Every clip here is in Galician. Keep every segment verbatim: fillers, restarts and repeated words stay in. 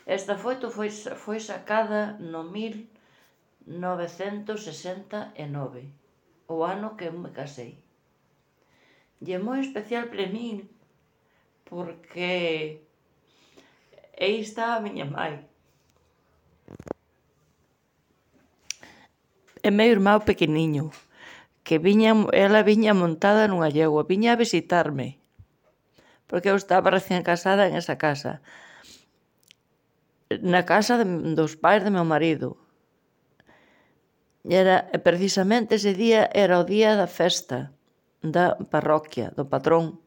Esta foto foi, foi sacada no mil novecentos sesenta e nove, o ano que eu me casei. E é moi especial para min, porque aí está a miña mãe. E meu irmão pequeniño, que viña, ela viña montada nunha yegua, viña a visitarme, porque eu estaba recién casada en esa casa, na casa de, dos pais de meu marido. E era, precisamente ese día era o día da festa da parroquia, do patrón.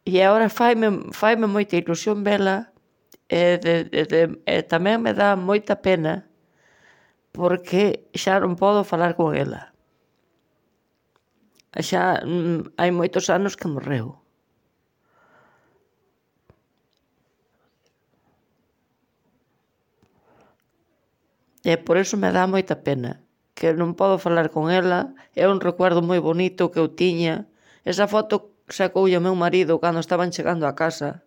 E agora faime, faime moita ilusión vela, e, de, de, de, e tamén me dá moita pena, porque xa non podo falar con ela. Xa mm, hai moitos anos que morreu. E por iso me dá moita pena, que non podo falar con ela. É un recuerdo moi bonito que eu tiña. Esa foto sacoulle o meu marido cando estaban chegando a casa.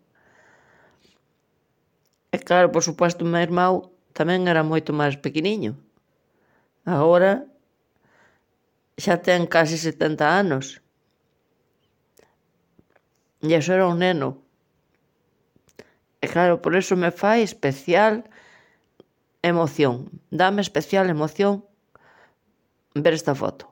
E claro, por suposto, o meu irmão tamén era moito máis pequeniño. Agora xa ten casi setenta anos. E iso era un neno. E claro, por iso me fai especial emoción. Dame especial emoción ver esta foto.